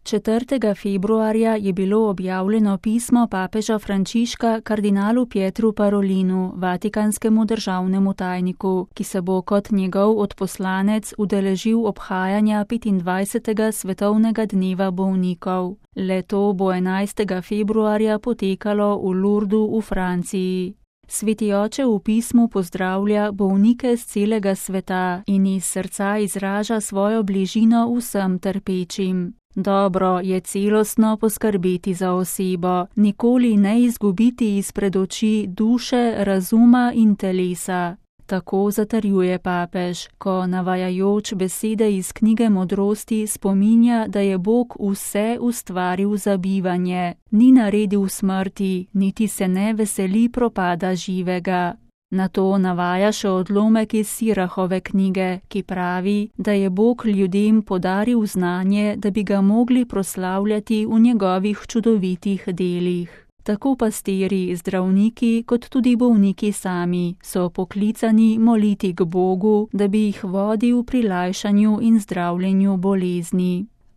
4. februarja je bilo objavljeno pismo papeža Frančiška kardinalu Pietru Parolinu, vatikanskemu državnemu tajniku, ki se bo kot njegov odposlanec udeležil obhajanja 25. svetovnega dneva bolnikov. Le-to bo 11. februarja potekalo v Lourdu v Franciji. Sveti oče v pismu pozdravlja bolnike z celega sveta in iz srca izraža svojo bližino vsem trpečim. Dobro je celostno poskrbeti za osebo, nikoli ne izgubiti izpred oči duše, razuma in telesa. Tako zatrjuje papež, ko navajajoč besede iz knjige Modrosti spominja, da je Bog vse ustvaril za bivanje, ni naredil smrti, niti se ne veseli propada živega. Nato navaja še odlomek iz Sirahove knjige, ki pravi, da je Bog ljudem podaril znanje, da bi ga mogli proslavljati v njegovih čudovitih delih. Tako pastirji, zdravniki, kot tudi bolniki sami so poklicani moliti k Bogu, da bi jih vodil pri lajšanju in zdravljenju bolezni.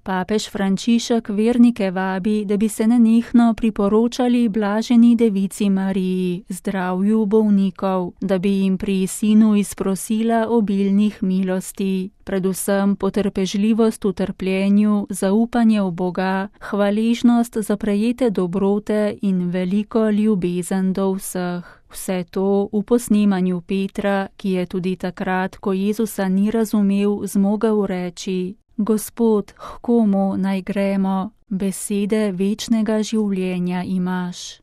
Papež Frančišek vernike vabi, da bi se nenehno priporočali blaženi devici Mariji, zdravju bolnikov, da bi jim pri sinu izprosila obilnih milosti, predvsem potrpežljivost v trpljenju, zaupanje v Boga, hvaležnost za prejete dobrote in veliko ljubezen do vseh. Vse to v posnemanju Petra, ki je tudi takrat, ko Jezusa ni razumel, zmogel reči: Gospod, h komu naj gremo? Besede večnega življenja imaš.